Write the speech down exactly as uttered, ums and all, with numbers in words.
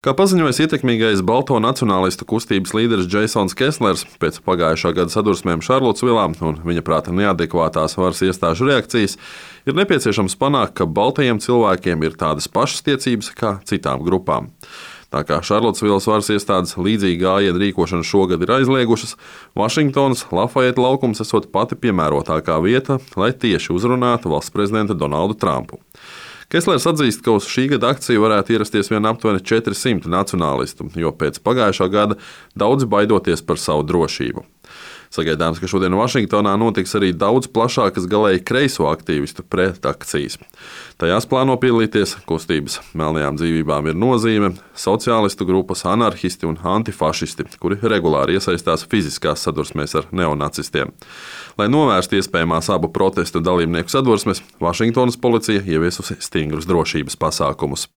Kā paziņojis ietekmīgais balto nacionālistu kustības līderis Džeisons Keslers, pēc pagājušā gada sadursmēm Šarlotsvilā un viņa prāta neadekvātās varas iestāžu reakcijas, ir nepieciešams panākt, ka baltajiem cilvēkiem ir tādas pašas tiesības kā citām grupām. Tā kā Šarlotsvilas varas iestādes līdzīgi gājienu rīkošanu šogad ir aizliegušas, Vašingtonas Lafayette laukums esot pati piemērotākā vieta, lai tieši uzrunātu valsts prezidentu Donaldu Trumpu. Keslers atzīst, ka uz šī gada akciju varētu ierasties vien aptuveni četri simti nacionālistu, jo pēc pagājušā gada daudzi baidoties par savu drošību. Sagaidāms, ka šodien Vašingtonā notiks arī daudz plašākas galēji kreiso aktīvistu pretakcijas. Tajās plāno piedalīties kustības Melnajām dzīvībām ir nozīme, sociālistu grupas anarhisti un antifašisti, kuri regulāri iesaistās fiziskās sadursmēs ar neonacistiem. Lai novērstu iespējamās abu protestu dalībnieku sadursmes, Vašingtonas policija ieviesusi stingrus drošības pasākumus.